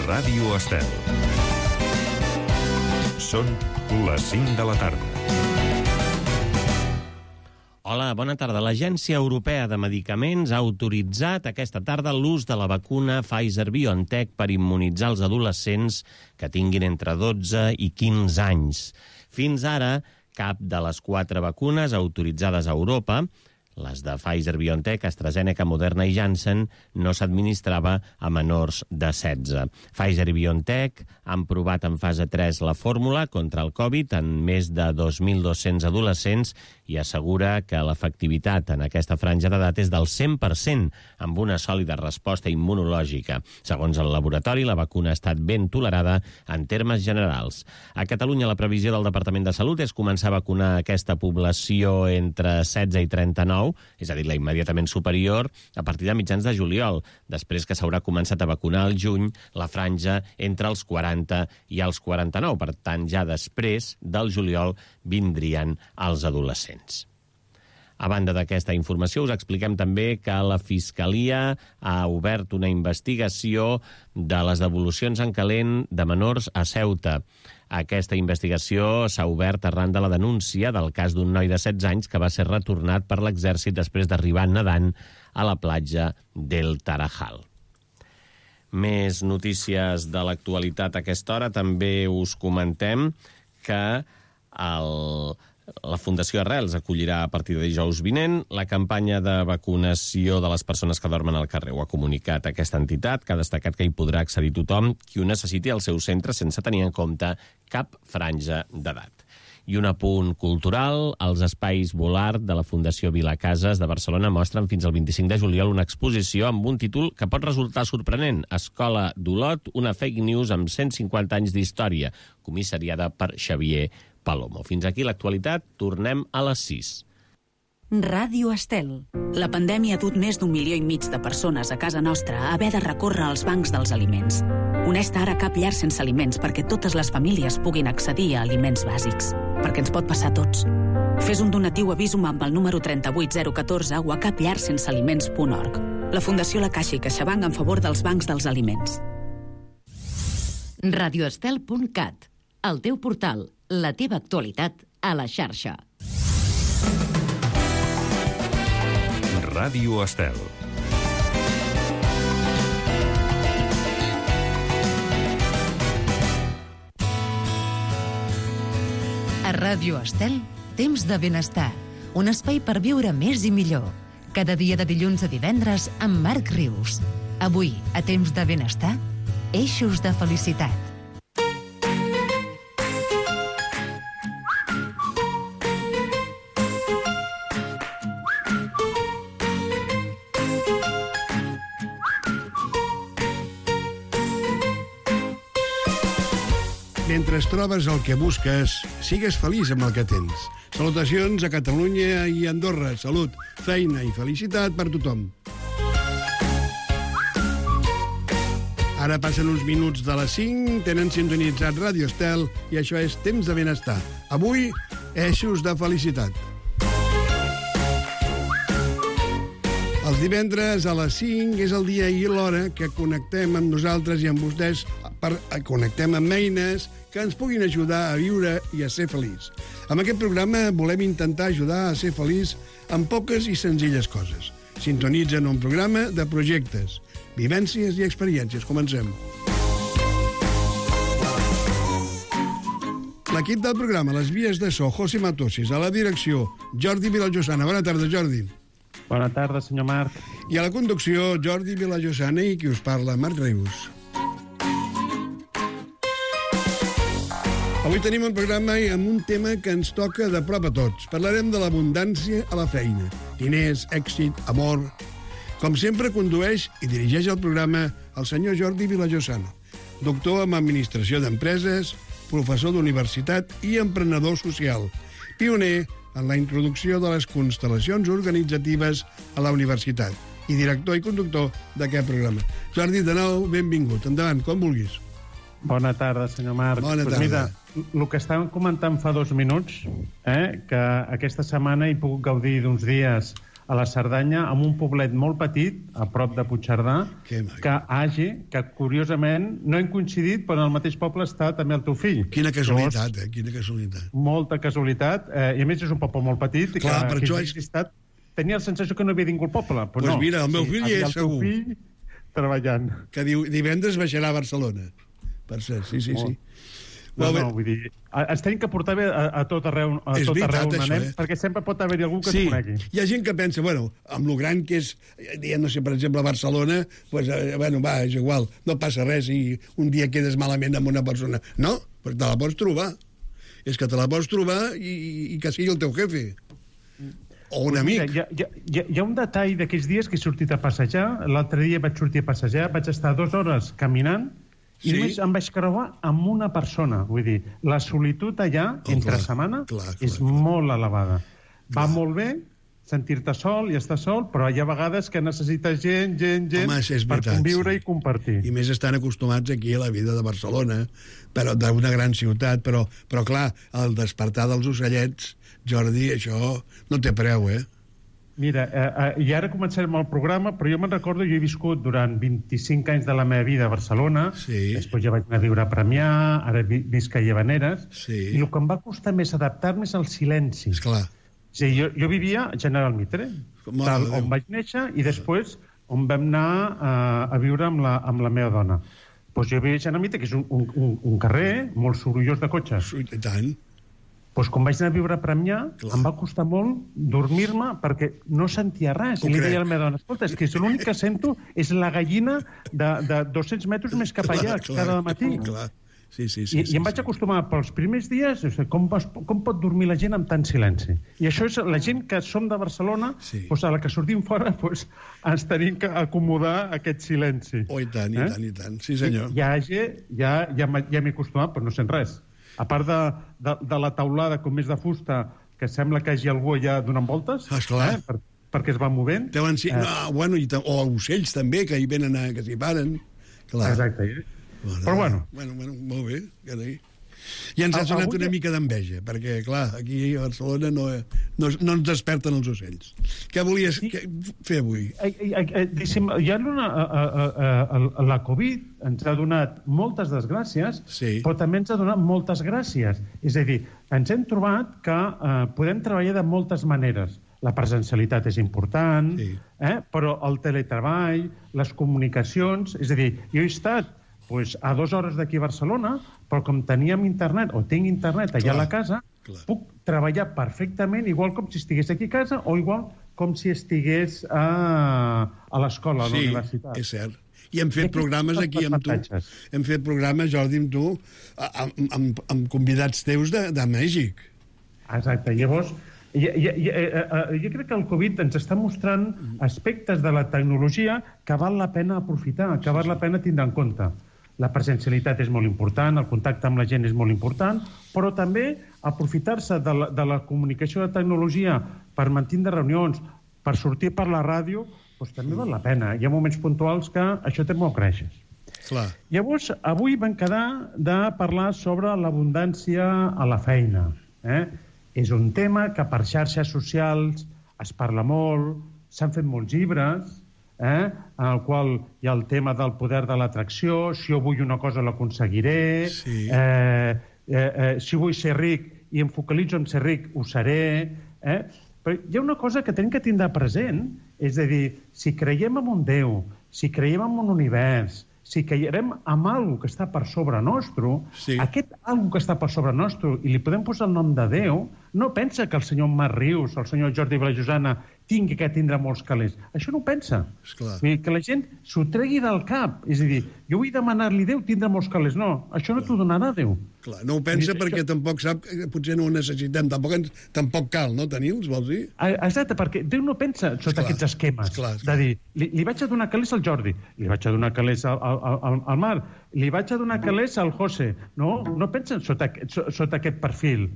Ràdio Estel. Són les 5 de la tarda. Hola, bona tarda. L'Agència Europea de Medicaments ha autoritzat aquesta tarda l'ús de la vacuna Pfizer-BioNTech per immunitzar els adolescents que tinguin entre 12 i 15 anys. Fins ara, cap de les 4 vacunes autoritzades a Europa, les de Pfizer-BioNTech, AstraZeneca, Moderna i Janssen, no s'administrava a menors de 16. Pfizer i BioNTech han provat en fase 3 la fórmula contra el Covid en més de 2.200 adolescents i assegura que l'efectivitat en aquesta franja d'edat és del 100%, amb una sòlida resposta immunològica. Segons el laboratori, la vacuna ha estat ben tolerada en termes generals. A Catalunya, la previsió del Departament de Salut és començar a vacunar aquesta població entre 16 i 39, és a dir, la immediatament superior, a partir de mitjans de juliol, després que s'haurà començat a vacunar al juny la franja entre els 40 i els 49. Per tant, ja després del juliol vindrien els adolescents. A banda d'aquesta informació, us expliquem també que la Fiscalia ha obert una investigació de les devolucions en calent de menors a Ceuta. Aquesta investigació s'ha obert arran de la denúncia del cas d'un noi de 16 anys que va ser retornat per l'exèrcit després d'arribar nedant a la platja del Tarajal. Més notícies de l'actualitat a aquesta hora. També us comentem que la Fundació Arrels acollirà a partir de dijous vinent la campanya de vacunació de les persones que dormen al carrer. Ho ha comunicat aquesta entitat, que ha destacat que hi podrà accedir tothom qui ho necessiti al seu centre sense tenir en compte cap franja d'edat. I un apunt cultural, els espais Volart de la Fundació Vilacases de Barcelona mostren fins al 25 de juliol una exposició amb un títol que pot resultar sorprenent. Escola d'Olot, una fake news amb 150 anys d'història, comissariada per Xavier Palomo. Fins aquí l'actualitat, tornem a les 6. Ràdio Estel. La pandèmia ha dut més d'1,5 milió de persones a casa nostra a haver de recórrer als bancs dels aliments. Honesta, ara cap llar sense aliments perquè totes les famílies puguin accedir a aliments bàsics. Perquè ens pot passar a tots. Fes un donatiu a Visum amb el número 38014 o a capllarsensealiments.org. La Fundació La Caixa i CaixaBank en favor dels bancs dels aliments. radioestel.cat. El teu portal, la teva actualitat a la xarxa. Ràdio Estel. A Ràdio Estel, temps de benestar. Un espai per viure més i millor. Cada dia de dilluns a divendres amb Marc Rius. Avui, a temps de benestar, eixos de felicitat. Mentre trobes el que busques, sigues feliç amb el que tens. Salutacions a Catalunya i Andorra. Salut, feina i felicitat per tothom. Ara passen uns minuts de les 5, tenen sintonitzat Ràdio Estel i això és Temps de Benestar. Avui, eixos de felicitat. Els divendres a les 5 és el dia i l'hora que connectem amb nosaltres i amb vostès, connectem amb eines que ens puguin ajudar a viure i a ser feliç. Amb aquest programa volem intentar ajudar a ser feliç amb poques i senzilles coses. Sintonitzen un programa de projectes, vivències i experiències. Comencem. L'equip del programa, les vies de so, José Matosis, a la direcció, Jordi Vilallosana. Bona tarda, Jordi. Bona tarda, senyor Marc. I a la conducció, Jordi Vilallosana i qui us parla, Marc Rius. Avui tenim un programa amb un tema que ens toca de prop a tots. Parlarem de l'abundància a la feina. Diners, èxit, amor. Com sempre, condueix i dirigeix el programa el senyor Jordi Vilallosana, doctor en Administració d'Empreses, professor d'universitat i emprenedor social, pioner en la introducció de les constel·lacions organitzatives a la universitat i director i conductor d'aquest programa. Jordi, de nou, benvingut. Endavant, com vulguis. Bona tarda, senyor Marc. Bona tarda. Mira, el que estàvem comentant fa 2 minuts, que aquesta setmana he pogut gaudir d'uns dies a la Cerdanya, en un poblet molt petit, a prop de Puigcerdà, que curiosament no hem coincidit, però en el mateix poble està també el teu fill. Quina casualitat, Quina casualitat. Molta casualitat, i a més és un poble molt petit, clar, que per això tenia la sensació que no havia ningú al poble, però no. Doncs mira, el meu fill hi és segur. El teu fill treballant. Que diu, divendres baixarà a Barcelona. Per cert, sí. No, vull dir, ens tenim que portar bé a tot arreu on anem, perquè sempre pot haver-hi algú que es conegui. Hi ha gent que pensa, amb lo gran que és, dient, no sé, per exemple, a Barcelona, és igual, no passa res si un dia quedes malament amb una persona. No, perquè te la pots trobar. És que te la pots trobar i que sigui el teu jefe. O un amic. Hi ha un detall d'aquells dies que he sortit a passejar. L'altre dia vaig sortir a passejar, vaig estar 2 hores caminant, i només em vaig creuar amb una persona. Vull dir, la solitud allà, entre setmana, és molt elevada. Va molt bé sentir-te sol i estar sol, però hi ha vegades que necessites gent per conviure i compartir. I més estan acostumats aquí a la vida de Barcelona, però d'una gran ciutat, però clar, el despertar dels ocellets, Jordi, això no té preu, Mira, i ara començarem el programa, però jo me'n recordo, jo he viscut durant 25 anys de la meva vida a Barcelona, després ja vaig anar a viure a Premià, ara visc a Llavaneres, i el que em va costar més adaptar-me és el silenci. Esclar. Jo vivia a General Mitre, on vaig néixer, i després on vam anar a viure amb la meva dona. Doncs jo vivia a General Mitre, que és un carrer molt sorollós de cotxes. I tant. Doncs quan vaig anar a viure a Premià, em va costar molt dormir-me perquè no sentia res. I li deia a la meva dona, escolta, és que l'únic que sento és la gallina de 200 metres més cap allà cada matí. I em vaig acostumar pels primers dies, com pot dormir la gent amb tant silenci? I això és la gent que som de Barcelona, a la que sortim fora ens tenim que acomodar a aquest silenci. Oh, i tant, i tant. Sí, senyor. Ja m'he acostumat, però no sent res. A part de la taulada com més de fusta, que sembla que hi hagi algú allà donant voltes, perquè es va movent. O ocells també, que hi venen, que s'hi paren. Exacte. Però bueno. Molt bé, carai. I ens ha sonat una mica d'enveja, perquè, clar, aquí a Barcelona no ens desperten els ocells. Què volies fer avui? La Covid ens ha donat moltes desgràcies, però també ens ha donat moltes gràcies. És a dir, ens hem trobat que podem treballar de moltes maneres. La presencialitat és important, però el teletreball, les comunicacions... És a dir, jo he estat a 2 hores d'aquí a Barcelona, però com teníem internet, o tinc internet allà a la casa, puc treballar perfectament, igual com si estigués aquí a casa, o igual com si estigués a l'escola, a la universitat. Sí, és cert. I hem fet programes aquí amb tu. Hem fet programes, Jordi, amb tu, amb convidats teus de Mèxic. Exacte. Llavors, jo crec que el Covid ens està mostrant aspectes de la tecnologia que val la pena aprofitar, que val la pena tindre en compte. La presencialitat és molt important, el contacte amb la gent és molt important, però també aprofitar-se de la comunicació de tecnologia per mantenir reunions, per sortir per la ràdio, doncs també val la pena. Hi ha moments puntuals que això té molt creixes. Llavors, avui vam quedar de parlar sobre l'abundància a la feina. És un tema que per xarxes socials es parla molt, s'han fet molts llibres, en el qual hi ha el tema del poder de l'atracció, si jo vull una cosa l'aconseguiré, si vull ser ric i em focalitzo en ser ric, ho seré. Però hi ha una cosa que tenim que tindre present, és a dir, si creiem en un Déu, si creiem en un univers, si creiem en alguna que està per sobre nostre, aquest alguna que està per sobre nostre, i li podem posar el nom de Déu, no pensa que el senyor Marc Rius, el senyor Jordi Vilajosana, tingui que tindre molts calés. Això no ho pensa. Vull dir, que la gent s'ho tregui del cap. És a dir, jo vull demanar-li a Déu tindre molts calés. No, això no t'ho donarà Déu. Clar, no ho pensa perquè tampoc sap que potser no ho necessitem. Tampoc cal, no, tenir-los, vols dir? Exacte, perquè Déu no pensa sota aquests esquemes. De dir, li vaig a donar calés al Jordi, li vaig a donar calés al Marc, li vaig a donar calés al José. No pensen sota aquest perfil.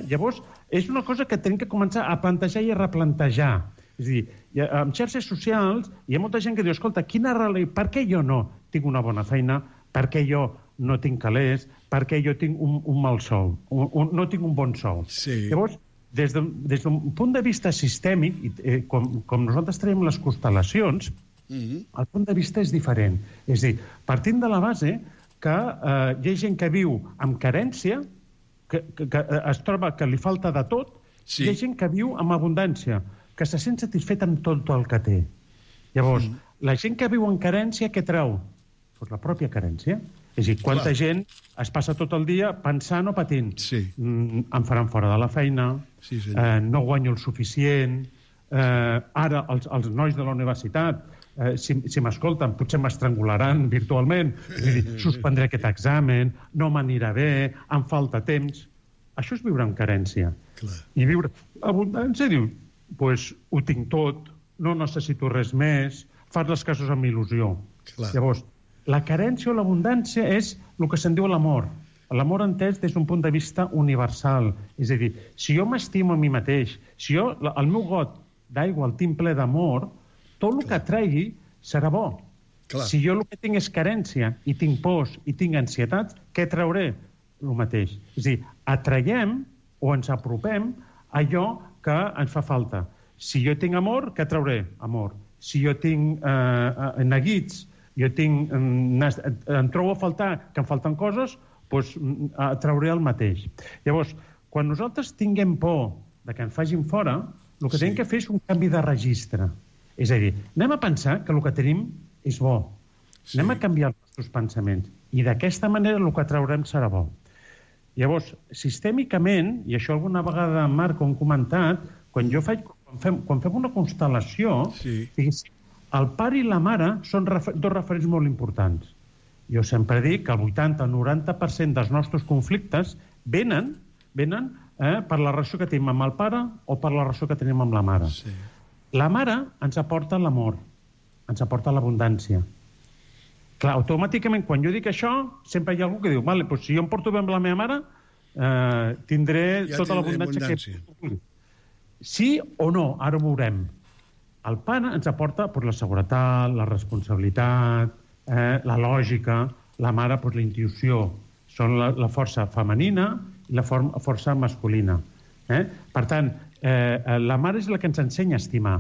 Llavors, és una cosa que tenim que començar a plantejar i a replantejar. És a dir, en xarxes socials hi ha molta gent que diu, escolta, per què jo no tinc una bona feina? Per què jo no tinc calés? Per què jo tinc un mal sou? No tinc un bon sou? Llavors, des d'un punt de vista sistèmic, com nosaltres traiem les constel·lacions, el punt de vista és diferent. És a dir, partint de la base que hi ha gent que viu amb carència, que es troba que li falta de tot, hi ha gent que viu amb abundància, que se sent satisfet amb tot el que té. Llavors, la gent que viu en carència, què treu? Pues la pròpia carència. És a dir, quanta gent es passa tot el dia pensant o patint. Em faran fora de la feina, no guanyo el suficient, ara els nois de la universitat, si m'escolten, potser m'estrangularan virtualment, suspendré aquest examen, no m'anirà bé, em falta temps. Això és viure en carència. I viure abundància, diu, doncs ho tinc tot, no necessito res més, fas les coses amb il·lusió. Llavors, la carència o l'abundància és el que se'n diu l'amor. L'amor entès des d'un punt de vista universal. És a dir, si jo m'estimo a mi mateix, si jo el meu got d'aigua el tinc ple d'amor, tot el que tregui serà bo. Si jo el que tinc és carència i tinc pors i tinc ansietats, què trauré? El mateix. És a dir, atraiem o ens apropem a allò que ens fa falta. Si jo tinc amor, què trauré? Amor. Si jo tinc neguits, em trobo a faltar, que em falten coses, doncs trauré el mateix. Llavors, quan nosaltres tinguem por que ens facin fora, el que tenim que fer és un canvi de registre. És a dir, anem a pensar que el que tenim és bo. Anem a canviar els nostres pensaments. I d'aquesta manera el que traurem serà bo. Llavors, sistèmicament, i això alguna vegada, Marc, ho hem comentat, quan fem una constel·lació, el pare i la mare són dos referents molt importants. Jo sempre dic que el 80-90% dels nostres conflictes venen per la relació que tenim amb el pare o per la relació que tenim amb la mare. La mare ens aporta l'amor, ens aporta l'abundància. Clar, automàticament, quan jo dic això, sempre hi ha algú que diu, vale, doncs si jo em porto bé amb la meva mare, tindré tota l'abundància que... Sí o no, ara ho veurem. El pare ens aporta la seguretat, la responsabilitat, la lògica, la mare, la intuïció. Són la força femenina i la força masculina. Per tant, la mare és la que ens ensenya a estimar.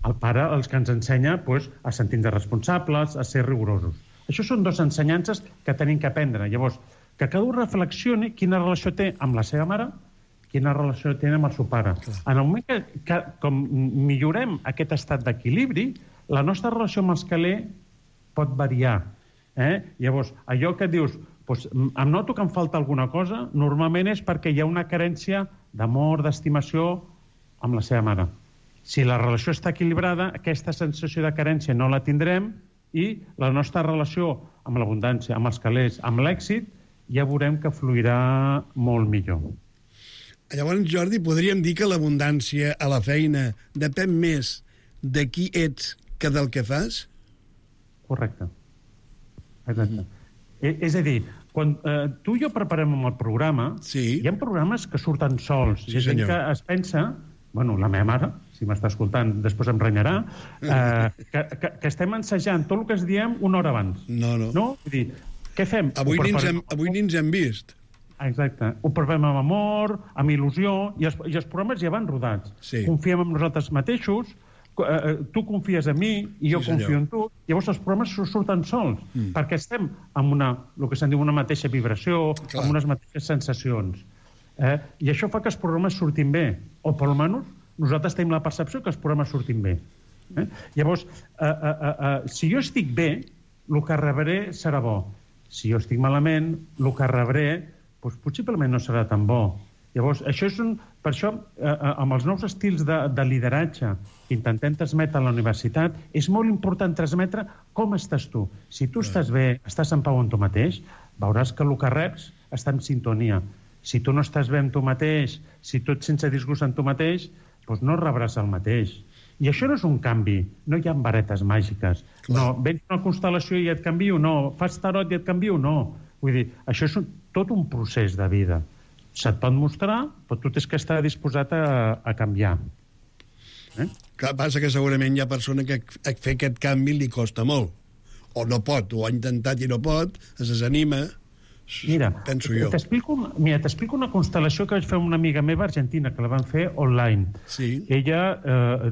El pare els que ens ensenya a sentir-nos responsables, a ser rigorosos. Això són dues ensenyances que tenim que aprendre. Llavors, que cada un reflexioni quina relació té amb la seva mare, quina relació té amb el seu pare. En el moment que com millorem aquest estat d'equilibri, la nostra relació amb els calés pot variar. Llavors, allò que dius, em noto que em falta alguna cosa, normalment és perquè hi ha una carència d'amor, d'estimació amb la seva mare. Si la relació està equilibrada, aquesta sensació de carència no la tindrem i la nostra relació amb l'abundància, amb els calés, amb l'èxit, ja veurem que fluirà molt millor. Llavors, Jordi, podríem dir que l'abundància a la feina depèn més de qui ets que del que fas? Correcte. Exacte. És a dir, quan tu i jo preparem el programa, hi ha programes que surten sols. Hi ha gent que es pensa, bueno, la meva mare, si m'està escoltant, després em renyarà, que estem ensajant tot el que es diem una hora abans. No? Vull dir, què fem? Avui ni ens hem vist. Exacte. Ho preparem amb amor, amb il·lusió, i els programes ja van rodats. Confiem en nosaltres mateixos, tu confies en mi i jo confio en tu, llavors els programes surten sols, perquè estem amb el que se'n diu una mateixa vibració, amb unes mateixes sensacions. I això fa que els programes surtin bé, o per almenys nosaltres tenim la percepció que els programes surtin bé. Llavors, si jo estic bé, el que rebré serà bo. Si jo estic malament, el que rebré possiblement no serà tan bo. Llavors, per això, amb els nous estils de lideratge que intentem transmetre a la universitat, és molt important transmetre com estàs tu. Si tu estàs bé, estàs en pau amb tu mateix, veuràs que el que reps està en sintonia. Si tu no estàs bé amb tu mateix, si tu ets sense disgust amb tu mateix, doncs no rebràs el mateix. I això no és un canvi, no hi ha varetes màgiques. No, vens una constel·lació i et canvio, no. Fas tarot i et canvio, no. Vull dir, això és tot un procés de vida. Se't pot mostrar, però tu tens que estar disposat a canviar. Clar, passa que segurament hi ha persona que fer aquest canvi li costa molt. O no pot, o ha intentat i no pot, es desanima, Mira, penso jo. T'explico una constel·lació que vaig fer amb una amiga meva argentina, que la van fer online. Sí. Ella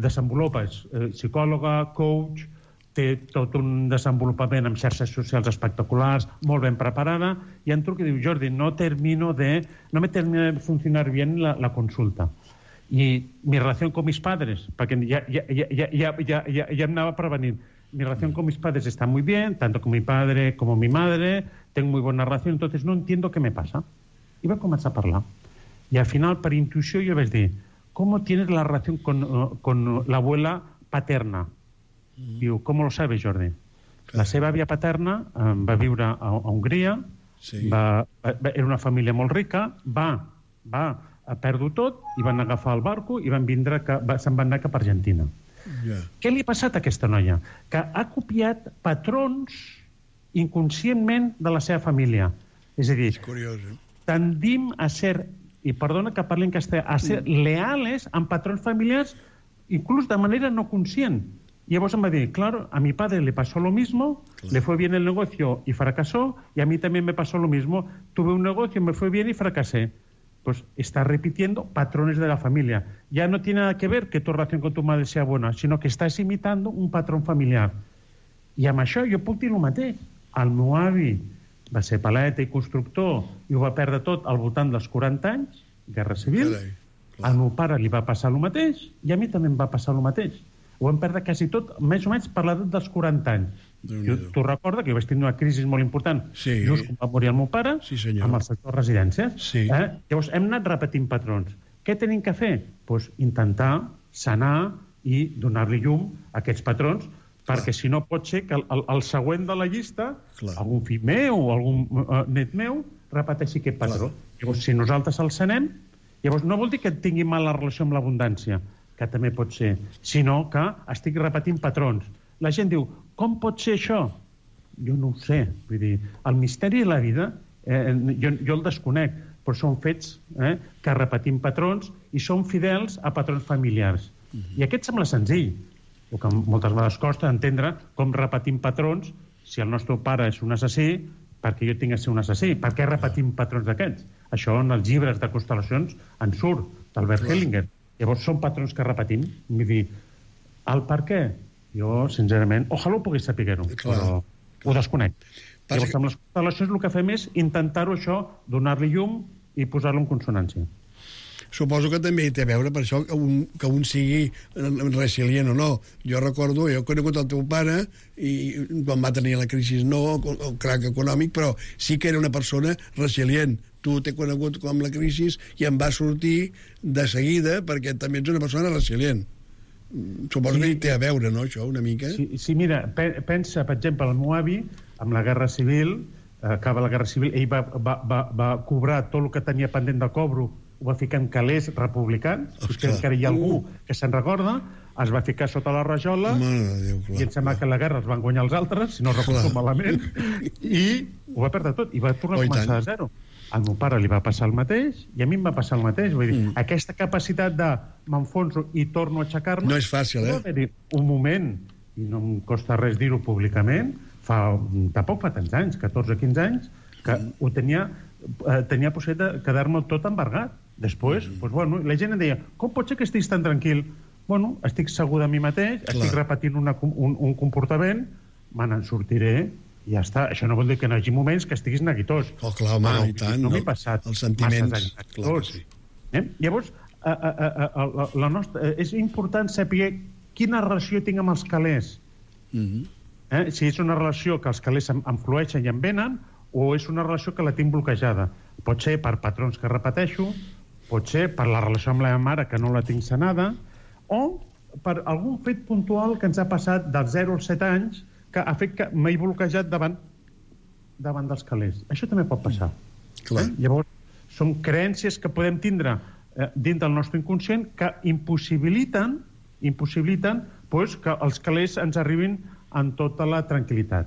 desenvolupa, és psicòloga, coach, té tot un desenvolupament amb xarxes socials espectaculars, molt ben preparada, i em truca i diu, Jordi, no me termina de funcionar bien la consulta. Y mi relación con mis padres, porque ya me andaba prevenint, mi relación con mis padres está muy bien, tanto con mi padre como mi madre, tengo muy buena relación, entonces no entiendo qué me pasa. Y va a comenzar a hablar. Y al final, por intuición, yo vaig dir, ¿cómo tienes la relación con la abuela paterna? Diu, ¿cómo lo sabes, Jordi? La seva àvia paterna va viure a Hongria, era una família molt rica, va perdre tot i van agafar el barco i se'n van anar cap a Argentina. Què li ha passat a aquesta noia? Que ha copiat patrons inconscientment de la seva família. És a dir, tendim a ser, i perdona que parli en castellà, a ser leales amb patrons familiars inclús de manera no conscient. Y vos me dice, claro, a mi padre le pasó lo mismo, le fue bien el negocio y fracasó, y a mí también me pasó lo mismo. Tuve un negocio, me fue bien y fracasé. Pues está repitiendo patrones de la familia. Ya no tiene nada que ver que tu relación con tu madre sea buena, sino que estás imitando un patrón familiar. I amb això jo puc dir el mateix. El meu avi va ser paleta i constructor i ho va perdre tot al voltant dels 40 anys, guerra civil. Al meu pare li va passar el mateix i a mi també em va passar el mateix. Ho vam perdre quasi tot, més o menys per l'edat dels 40 anys. Tu recorda que jo vaig tenir una crisi molt important just quan va morir el meu pare amb el sector residències. Llavors hem anat repetint patrons. Què tenim que fer? Doncs intentar sanar i donar-li llum a aquests patrons, perquè si no pot ser que el següent de la llista, algun fill meu o algun net meu, repeteixi aquest patró. Llavors, si nosaltres el sanem, llavors no vol dir que tingui mala relació amb l'abundància, que també pot ser, sinó que estic repetint patrons. La gent diu, com pot ser això? Jo no ho sé. Vull dir, el misteri de la vida, jo el desconec, però són fets que repetim patrons i són fidels a patrons familiars. I aquest sembla senzill, el que moltes vegades costa entendre com repetim patrons si el nostre pare és un assassí, perquè jo tinc de ser un assassí. Per què repetim patrons d'aquests? Això en els llibres de constel·lacions en surt, d'Albert Hellinger. Llavors són patrons que repetim. Vull dir, el per què? Jo, sincerament, ojalà ho pogués saber-ho, però ho desconec. Llavors, amb les constel·lacions el que fem és intentar-ho això, donar-li llum i posar-lo en consonància. Suposo que també té a veure per això que un sigui resilient o no. Jo recordo, jo he conegut el teu pare i quan va tenir la crisi el crac econòmic, però sí que era una persona resilient. Tu t'he conegut com la crisi i em va sortir de seguida perquè també ets una persona resilient. Suposo que hi té a veure, no, això, una mica? Sí, mira, pensa, per exemple, el meu avi, amb la Guerra Civil, acaba la Guerra Civil, ell va cobrar tot el que tenia pendent de cobro, ho va ficar en calés republicans, potser encara hi ha algú que se'n recorda, es va ficar sota la rajola i em sembla que la guerra es van guanyar els altres, si no recordo malament, i ho va perdre tot, i va tornar a començar de zero. Al meu pare li va passar el mateix i a mi em va passar el mateix. Vull dir, aquesta capacitat de m'enfonso i torno a aixecar-me... No és fàcil, Va haver-hi un moment, i no em costa res dir-ho públicament, tampoc fa tants anys, 14 o 15 anys, que ho tenia possibilitat de quedar-me tot embargat. Després, la gent em deia, com pot ser que estiguis tan tranquil? Bueno, estic segur de mi mateix, estic repetint un comportament, me n'en sortiré i ja està. Això no vol dir que no hi hagi moments que estiguis neguitós. Clar, home, i tant. No m'he passat els sentiments, clar que sí. Llavors, és important saber quina relació tinc amb els calés. Si és una relació que els calés em flueixen i em venen, o és una relació que la tinc bloquejada. Pot ser per patrons que repeteixo, pot ser per la relació amb la meva mare que no la tinc sanada, o per algun fet puntual que ens ha passat dels 0 als 7 anys que ha fet que m'he bloquejat davant dels calés. Això també pot passar. Llavors, són creences que podem tindre dins del nostre inconscient que impossibiliten que els calés ens arribin en tota la tranquil·litat.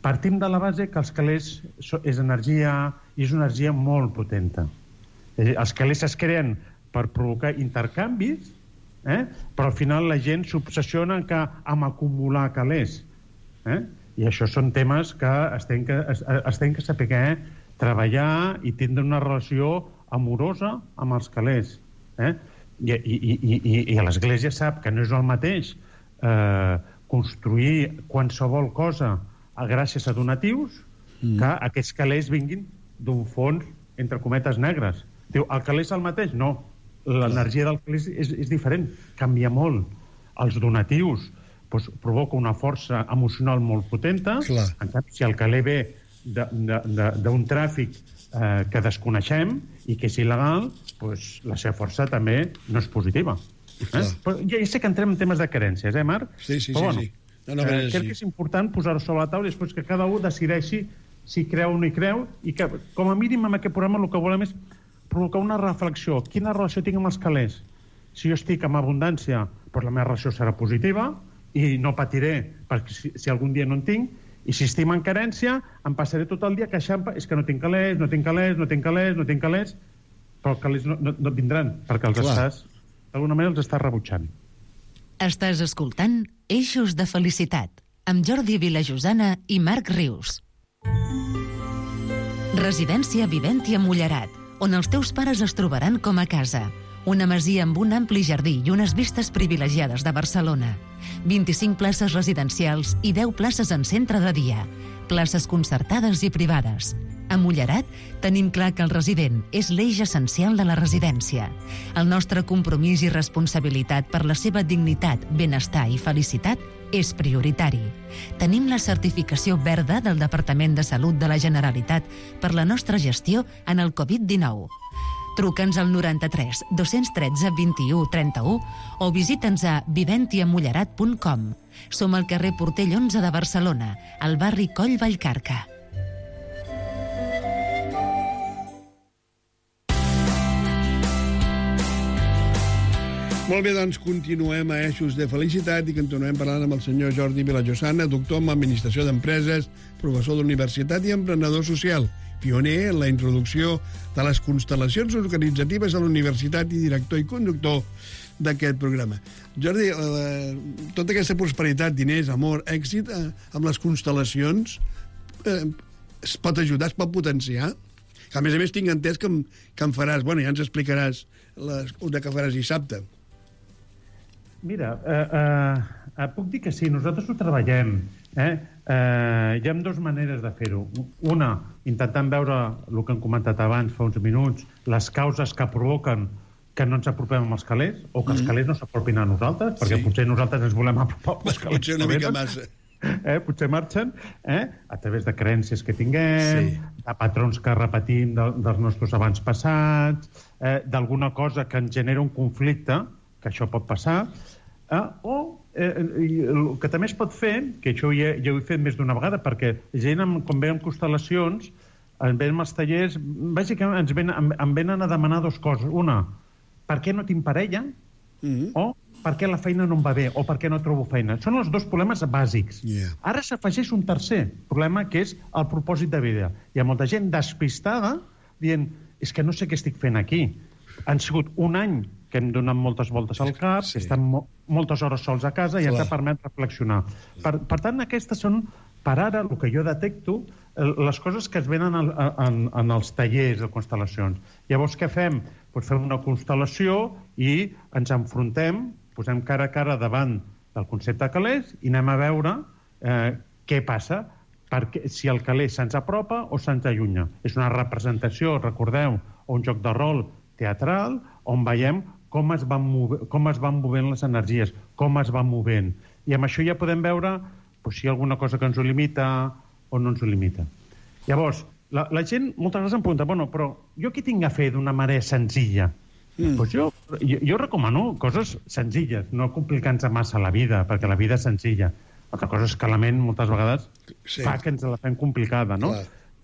Partim de la base que els calés és energia, i és una energia molt potenta. Els calés es creen per provocar intercanvis, però al final la gent s'obsessiona amb acumular calés. I això són temes que es tenen que saber treballar i tindre una relació amorosa amb els calés. I l'Església sap que no és el mateix construir qualsevol cosa gràcies a donatius que aquests calés vinguin d'un fons, entre cometes, negres. Diu, el calés és el mateix? No. L'energia del calés és diferent, canvia molt. Els donatius provoca una força emocional molt potenta. En canvi, si el calé ve d'un tràfic que desconeixem i que és il·legal, la seva força també no és positiva. Ja sé que entrem en temes de carències, Marc? Sí. Crec que és important posar-ho sobre la taula i després que cada un decideixi si creu o no hi creu, i que, com a mínim, en aquest programa el que volem és provocar una reflexió. Quina relació tinc amb els calés? Si jo estic amb abundància, la meva relació serà positiva i no patiré perquè si algun dia no en tinc, i si estic en carència, em passaré tot el dia queixant, és que no tinc calés, però els calés no vindran, perquè d'alguna manera els estàs rebutjant. Estàs escoltant Eixos de Felicitat, amb Jordi Vilajosana i Marc Rius. Residència Viventi a Mullerat, on els teus pares es trobaran com a casa. Una masia amb un ampli jardí i unes vistes privilegiades de Barcelona. 25 places residencials i 10 places en centre de dia. Places concertades i privades. A Mullerat tenim clar que el resident és l'eix essencial de la residència. El nostre compromís i responsabilitat per la seva dignitat, benestar i felicitat és prioritari. Tenim la certificació verda del Departament de Salut de la Generalitat per la nostra gestió en el Covid-19. Truca'ns al 93 213 21 31 o visita'ns a viventiamullerat.com. Som al carrer Portell 11 de Barcelona, al barri Coll Vallcarca. Molt bé, doncs continuem a Eixos de Felicitat i continuem parlant amb el senyor Jordi Vilajosana, doctor en Administració d'Empreses, professor d'universitat i emprenedor social, pioner en la introducció de les constel·lacions organitzatives a la universitat i director i conductor d'aquest programa. Jordi, tota aquesta prosperitat, diners, amor, èxit, amb les constel·lacions es pot ajudar, es pot potenciar? A més tinc entès que em faràs, ja ens explicaràs una que faràs dissabte. Mira, puc dir que sí, nosaltres ho treballem. Hi ha dues maneres de fer-ho. Una, intentant veure el que hem comentat abans, fa uns minuts, les causes que provoquen que no ens apropem amb els calés, o que els calés no s'apropin a nosaltres, perquè potser nosaltres ens volem apropar als calés. Potser una mica massa. Potser marxen, a través de creences que tinguem, de patrons que repetim dels nostres abans passats, d'alguna cosa que ens genera un conflicte, que això pot passar, o el que també es pot fer, que això ja ho he fet més d'una vegada, perquè gent, quan ve amb constel·lacions, ens venen als tallers, bàsicament em venen a demanar dues coses. Una, per què no tinc parella? O per què la feina no em va bé? O per què no trobo feina? Són els dos problemes bàsics. Ara s'afegeix un tercer problema, que és el propòsit de vida. Hi ha molta gent despistada dient, és que no sé què estic fent aquí. Han sigut un any que hem donat moltes voltes al cap, que estan moltes hores sols a casa i ens ha permès reflexionar. Per tant, aquestes són, per ara, el que jo detecto, les coses que es venen en els tallers de constel·lacions. Llavors, què fem? Fem una constel·lació i ens enfrontem, posem cara a cara davant del concepte calés i anem a veure què passa, si el calés se'ns apropa o se'ns allunya. És una representació, recordeu, o un joc de rol teatral, on veiem com es van movent les energies, com es van movent. I amb això ja podem veure si hi ha alguna cosa que ens ho limita o no ens ho limita. Llavors, la gent moltes vegades em pregunta, però jo què tinc a fer d'una manera senzilla? Jo recomano coses senzilles, no complicant-se massa la vida, perquè la vida és senzilla. Altra cosa és que la ment moltes vegades fa que ens la fem complicada, no?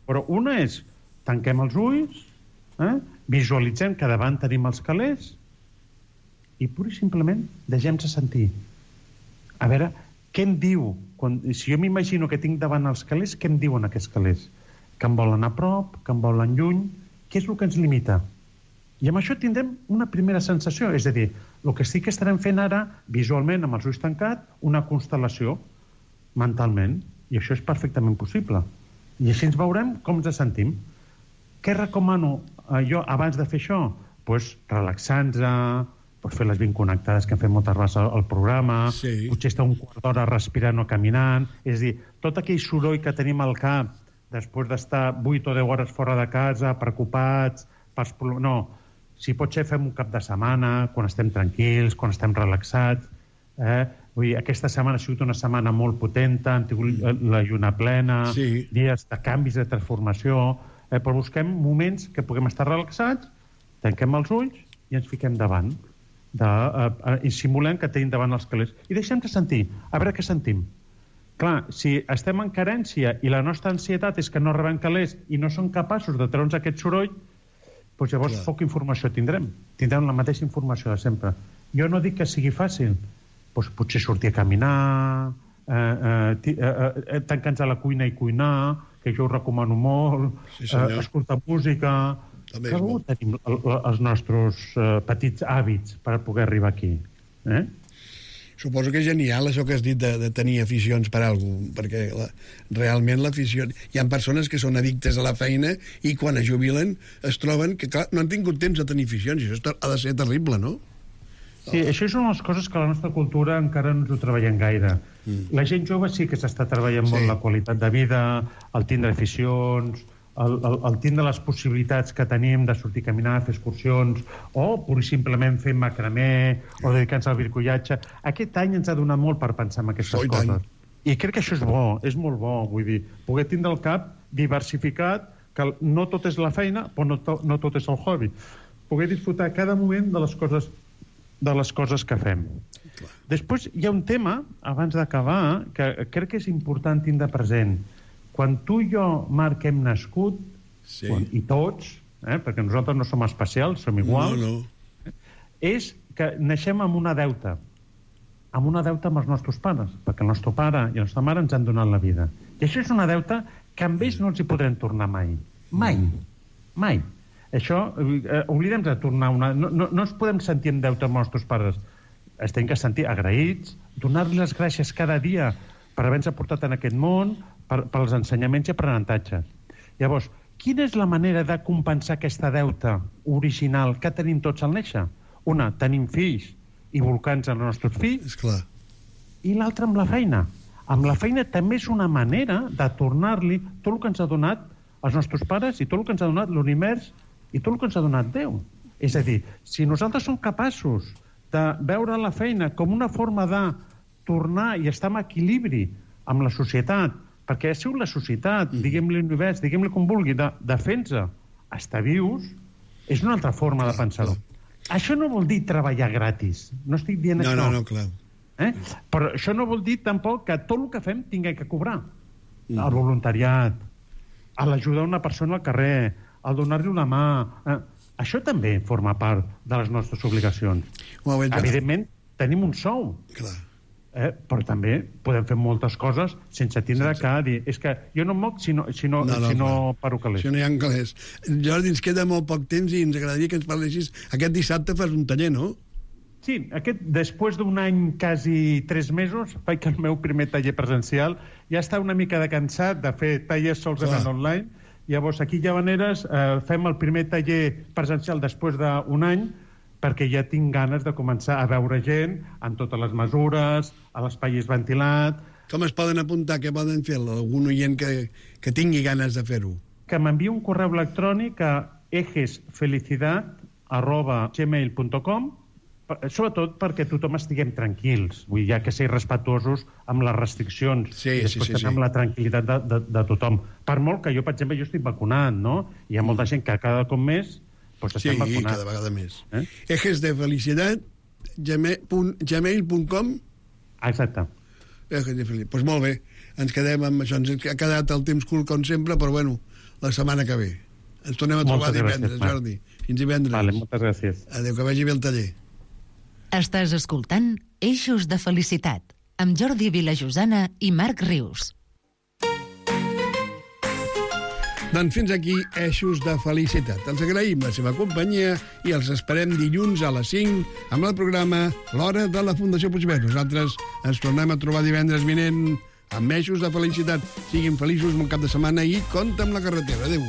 Però una és, tanquem els ulls, visualitzem que davant tenim els calés i pur i simplement deixem-se sentir. A veure, què em diu? Si jo m'imagino que tinc davant els calés, què em diuen aquests calés? Que em volen a prop, que em volen lluny? Què és el que ens limita? I amb això tindrem una primera sensació, és a dir, el que sí que estarem fent ara, visualment, amb els ulls tancats, una constel·lació mentalment, i això és perfectament possible. I així ens veurem com ens sentim. Què recomano jo abans de fer això? Doncs relaxar-nos, fer les 20 connectades que hem fet moltes vegades al programa, potser estar un quart d'hora respirant o caminant, és a dir, tot aquell soroll que tenim al cap després d'estar 8 o 10 hores fora de casa, preocupats, no, si pot ser fem un cap de setmana, quan estem tranquils, quan estem relaxats, vull dir, aquesta setmana ha sigut una setmana molt potenta, hem tingut la lluna plena, dies de canvis, de transformació, però busquem moments que puguem estar relaxats, tanquem els ulls i ens fiquem davant, i simulem que tenim davant els calés. I deixem de sentir, a veure què sentim. Clar, si estem en carència i la nostra ansietat és que no rebem calés i no som capaços de treure'ns aquest soroll, doncs llavors poca informació tindrem. Tindrem la mateixa informació de sempre. Jo no dic que sigui fàcil, doncs potser sortir a caminar, tancar-nos a la cuina i cuinar, que jo ho recomano molt, escoltar música. Cada un tenim els nostres petits hàbits per poder arribar aquí. Suposo que és genial això que has dit de tenir aficions per alguna cosa, perquè realment l'afició... Hi ha persones que són addictes a la feina i quan es jubilen es troben que, clar, no han tingut temps de tenir aficions, i això ha de ser terrible, no? Sí, això és una de les coses que a la nostra cultura encara no ens ho treballem gaire. La gent jove sí que s'està treballant molt la qualitat de vida, el tindre aficions, el tindre les possibilitats que tenim de sortir a caminar, fer excursions, o pur i simplement fer macramé, o dedicar-nos al bricollatge. Aquest any ens ha donat molt per pensar en aquestes coses. I crec que això és bo, és molt bo, vull dir, poder tindre el cap diversificat, que no tot és la feina, però no tot és el hobby. Poder disfrutar cada moment de les coses que fem. Després hi ha un tema, abans d'acabar, que crec que és important tindre present. Quan tu i jo, Marc, hem nascut, i tots, perquè nosaltres no som especials, som iguals, és que naixem amb una deuta amb els nostres pares, perquè el nostre pare i la nostra mare ens han donat la vida. I això és una deuta que amb ells no ens hi podrem tornar mai. Mai. Això, oblidem de tornar no ens podem sentir en deute amb els nostres pares. Es tenen que sentir agraïts, donar-los les gràcies cada dia per haver-nos portat en aquest món, pels ensenyaments i aprenentatges. Llavors, quina és la manera de compensar aquesta deuta original que tenim tots al néixer? Una, tenim fills i volcar-nos en els nostres fills, i l'altra amb la feina. Amb la feina també és una manera de tornar-li tot el que ens ha donat els nostres pares i tot el que ens ha donat l'univers i tot el que ens ha donat Déu. És a dir, si nosaltres som capaços de veure la feina com una forma de tornar i estar en equilibri amb la societat, perquè ha sigut la societat, diguem-li l'univers, diguem-li com vulgui, de fer-nos estar vius, és una altra forma de pensar-ho. Això no vol dir treballar gratis. No estic dient això. No, clar. Però això no vol dir tampoc que tot el que fem tinguem que cobrar. El voluntariat, l'ajuda a una persona al carrer, el donar-li una mà... Això també forma part de les nostres obligacions. Evidentment, tenim un sou. Clar. Però també podem fer moltes coses sense tindre que dir... És que jo no em moc si no paro calés. Si no hi ha calés. Jordi, ens queda molt poc temps i ens agradaria que ens parlessis. Aquest dissabte fas un taller, no? Sí, després d'un any, quasi 3 mesos, faig el meu primer taller presencial. Ja està una mica de cansat de fer tallers solament online. Llavors, aquí a Llavaneres fem el primer taller presencial després d'un any, perquè ja tinc ganes de començar a veure gent amb totes les mesures, a l'espai és ventilat... Com es poden apuntar? Què poden fer? Algun oient que tingui ganes de fer-ho? Que m'enviï un correu electrònic a ejesfelicidad@gmail.com, sobretot perquè tothom estiguem tranquils, vull dir, ja que ser respectuosos amb les restriccions, després amb la tranquil·litat de tothom. Per molt que jo, per exemple, jo estic vacunat, no? Hi ha molta gent que cada cop més estem vacunats. Cada vegada més. ejesdefelicidad@gmail.com. Exacte. Doncs molt bé, ens quedem amb això. Ens ha quedat el temps curt, com sempre, però bueno, la setmana que ve. Ens tornem a trobar divendres, Jordi. Fins divendres. Vale, moltes gràcies. Adéu, que vagi bé el taller. Estàs escoltant Eixos de Felicitat, amb Jordi Vilajosana i Marc Rius. Doncs fins aquí Eixos de Felicitat. Els agraïm la seva companyia i els esperem dilluns a les 5 amb el programa L'Hora de la Fundació Puigverd. Nosaltres ens tornem a trobar divendres vinent amb Eixos de Felicitat. Siguin feliços, bon cap de setmana i compte amb la carretera. Adéu.